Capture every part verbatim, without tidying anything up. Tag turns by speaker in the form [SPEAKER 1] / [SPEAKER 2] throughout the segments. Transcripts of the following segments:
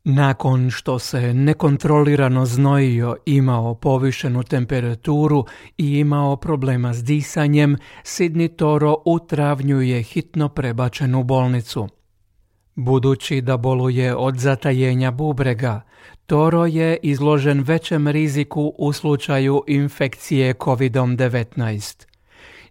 [SPEAKER 1] Nakon što se nekontrolirano znojio, imao povišenu temperaturu i imao problema s disanjem, Sidney Toro u travnju je hitno prebačen u bolnicu. Budući da boluje od zatajenja bubrega, Toro je izložen većem riziku u slučaju infekcije kovid devetnaest.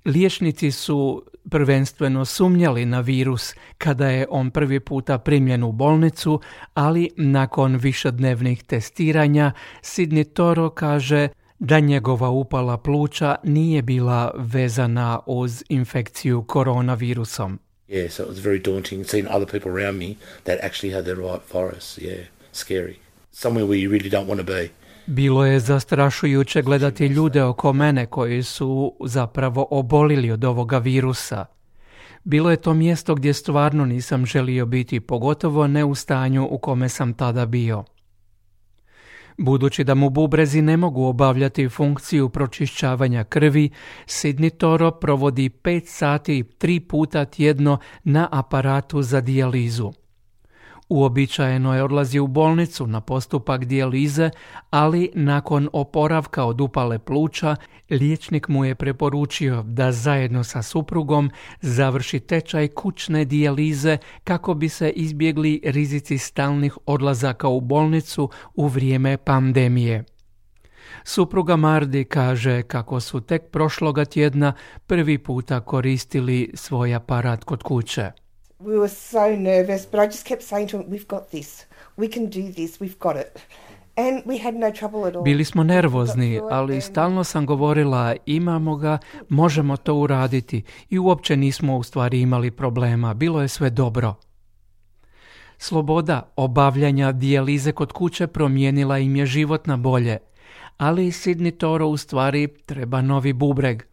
[SPEAKER 1] Liječnici su prvenstveno sumnjali na virus kada je on prvi puta primljen u bolnicu, ali nakon višednevnih testiranja Sidney Toro kaže da njegova upala pluća nije bila vezana uz infekciju koronavirusom.
[SPEAKER 2] Yeah, so it was very daunting seeing other people around me that actually had the right virus. Yeah, scary. Somewhere where you really don't want to be.
[SPEAKER 1] Bilo je zastrašujuće gledati ljude oko mene koji su zapravo obolili od ovoga virusa. Bilo je to mjesto gdje stvarno nisam želio biti, pogotovo ne u stanju u kome sam tada bio. Budući da mu bubrezi ne mogu obavljati funkciju pročišćavanja krvi, Sidney Toro provodi pet sati tri puta tjedno na aparatu za dijalizu. Uobičajeno je odlazi u bolnicu na postupak dijalize, ali nakon oporavka od upale pluća, liječnik mu je preporučio da zajedno sa suprugom završi tečaj kućne dijalize kako bi se izbjegli rizici stalnih odlazaka u bolnicu u vrijeme pandemije. Supruga Mardi kaže kako su tek prošloga tjedna prvi puta koristili svoj aparat kod kuće.
[SPEAKER 3] We were so nervous, but I just kept saying to him, we've got this, we can do this, we've got it. And we had no trouble at all.
[SPEAKER 1] Bili smo nervozni, ali stalno sam govorila, imamo ga, možemo to uraditi i uopće nismo u stvari imali problema, bilo je sve dobro. Sloboda obavljanja dijalize kod kuće promijenila im je život na bolje, ali Sidney Toro u stvari treba novi bubreg.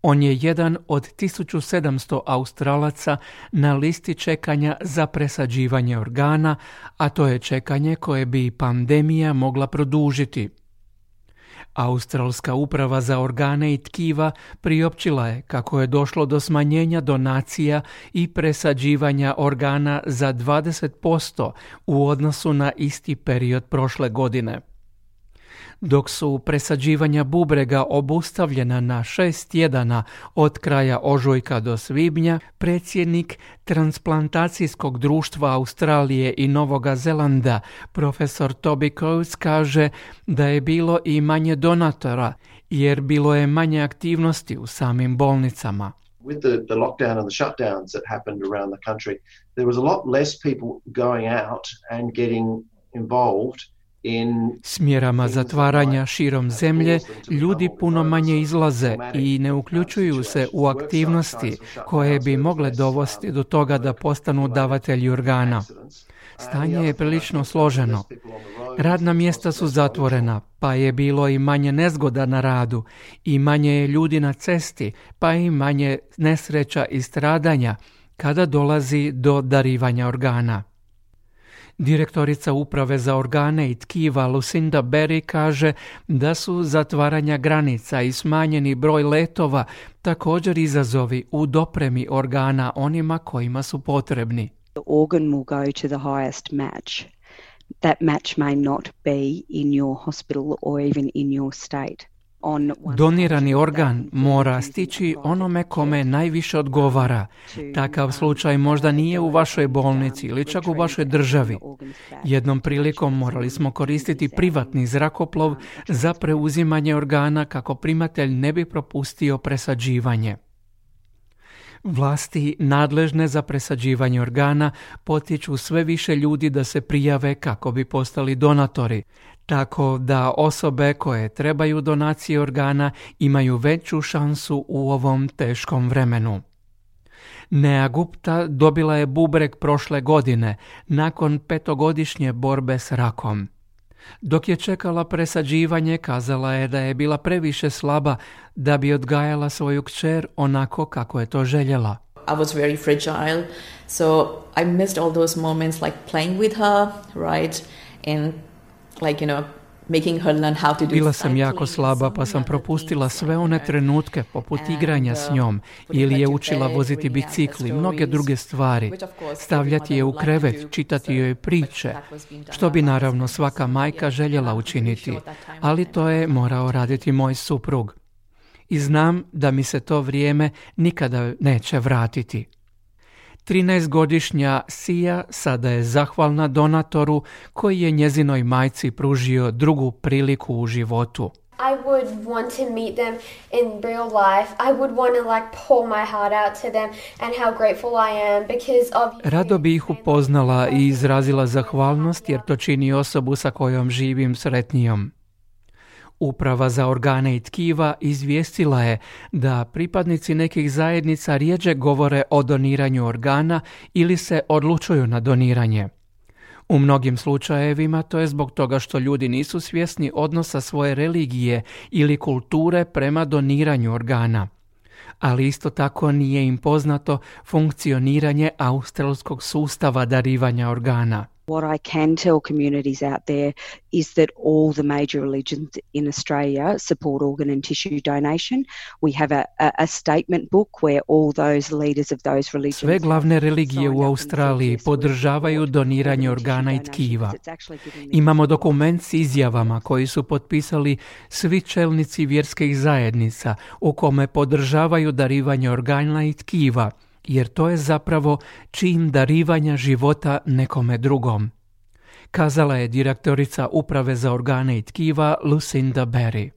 [SPEAKER 1] On je jedan od tisuću sedamsto Australaca na listi čekanja za presađivanje organa, a to je čekanje koje bi pandemija mogla produžiti. Australska uprava za organe i tkiva priopćila je kako je došlo do smanjenja donacija i presađivanja organa za dvadeset posto u odnosu na isti period prošle godine. Dok su presađivanja bubrega obustavljena na šest tjedana od kraja ožujka do svibnja, predsjednik transplantacijskog društva Australije i Novoga Zelanda, profesor Toby Coates, kaže da je bilo i manje donatora, jer bilo je manje aktivnosti u samim bolnicama.
[SPEAKER 4] With the, the lockdown and the shutdowns that happened around the country, there was a lot less people going out and getting involved.
[SPEAKER 1] S mjerama zatvaranja širom zemlje ljudi puno manje izlaze i ne uključuju se u aktivnosti koje bi mogle dovesti do toga da postanu davatelji organa. Stanje je prilično složeno. Radna mjesta su zatvorena, pa je bilo i manje nezgoda na radu, i manje je ljudi na cesti, pa i manje nesreća i stradanja kada dolazi do darivanja organa. Direktorica uprave za organe i tkiva Lucinda Berry kaže da su zatvaranja granica i smanjeni broj letova također izazovi u dopremi organa onima kojima su potrebni.
[SPEAKER 5] The organ will go to the highest match. That match may not be in your hospital or even in your state.
[SPEAKER 1] Donirani organ mora stići onome kome najviše odgovara. Takav slučaj možda nije u vašoj bolnici ili čak u vašoj državi. Jednom prilikom morali smo koristiti privatni zrakoplov za preuzimanje organa kako primatelj ne bi propustio presađivanje. Vlasti nadležne za presađivanje organa potiču sve više ljudi da se prijave kako bi postali donatori, tako da osobe koje trebaju donacije organa imaju veću šansu u ovom teškom vremenu. Nea Gupta dobila je bubreg prošle godine nakon petogodišnje borbe s rakom. Dok je čekala presađivanje, kazala je da je bila previše slaba da bi odgajala svoju kćer onako kako je to željela.
[SPEAKER 6] I was very fragile, so I missed all those moments like playing with her, right? And like, you know, making her learn how to do
[SPEAKER 1] Bila sam jako
[SPEAKER 6] cycling,
[SPEAKER 1] slaba
[SPEAKER 6] so
[SPEAKER 1] pa
[SPEAKER 6] many
[SPEAKER 1] sam
[SPEAKER 6] other
[SPEAKER 1] propustila
[SPEAKER 6] things
[SPEAKER 1] sve
[SPEAKER 6] like
[SPEAKER 1] one
[SPEAKER 6] that.
[SPEAKER 1] trenutke poput
[SPEAKER 6] And,
[SPEAKER 1] igranja s
[SPEAKER 6] uh,
[SPEAKER 1] njom
[SPEAKER 6] putting
[SPEAKER 1] ili
[SPEAKER 6] her
[SPEAKER 1] je
[SPEAKER 6] to
[SPEAKER 1] učila
[SPEAKER 6] bed,
[SPEAKER 1] voziti
[SPEAKER 6] bringing out her
[SPEAKER 1] bicikli, mnoge
[SPEAKER 6] stories,
[SPEAKER 1] druge stvari,
[SPEAKER 6] which of course
[SPEAKER 1] stavljati je
[SPEAKER 6] every
[SPEAKER 1] u
[SPEAKER 6] mother would like
[SPEAKER 1] krevet,
[SPEAKER 6] to do,
[SPEAKER 1] čitati
[SPEAKER 6] so-
[SPEAKER 1] joj
[SPEAKER 6] but
[SPEAKER 1] priče,
[SPEAKER 6] that was being done
[SPEAKER 1] što bi
[SPEAKER 6] by my
[SPEAKER 1] naravno
[SPEAKER 6] husband,
[SPEAKER 1] svaka
[SPEAKER 6] so
[SPEAKER 1] majka
[SPEAKER 6] yeah,
[SPEAKER 1] željela
[SPEAKER 6] I'm pretty
[SPEAKER 1] učiniti,
[SPEAKER 6] sure that time
[SPEAKER 1] ali
[SPEAKER 6] I
[SPEAKER 1] to je
[SPEAKER 6] had
[SPEAKER 1] morao raditi moj suprug. I znam da mi se to vrijeme nikada neće vratiti. trinaestogodišnja Sia sada je zahvalna donatoru koji je njezinoj majci pružio drugu priliku u životu.
[SPEAKER 7] I would want to meet them in real life. I would want to like pour my heart out to them and how grateful I am because obviously...
[SPEAKER 1] Rado bi ih upoznala i izrazila zahvalnost jer to čini osobu sa kojom živim sretnijom. Uprava za organe i tkiva izvijestila je da pripadnici nekih zajednica rjeđe govore o doniranju organa ili se odlučuju na doniranje. U mnogim slučajevima to je zbog toga što ljudi nisu svjesni odnosa svoje religije ili kulture prema doniranju organa. Ali isto tako nije im poznato funkcioniranje australskog sustava darivanja organa.
[SPEAKER 5] What I can tell communities out there is that all the major religions in Australia support organ and tissue donation. We have a, a, a statement book where all those leaders of those religions...
[SPEAKER 1] Sve glavne religije u Australiji podržavaju doniranje organa i tkiva. Imamo dokument s izjavama koji su potpisali svi čelnici vjerskih zajednica u kome podržavaju darivanje organa i tkiva, jer to je zapravo čin darivanja života nekome drugom, kazala je direktorica Uprave za organe i tkiva Lucinda Berry.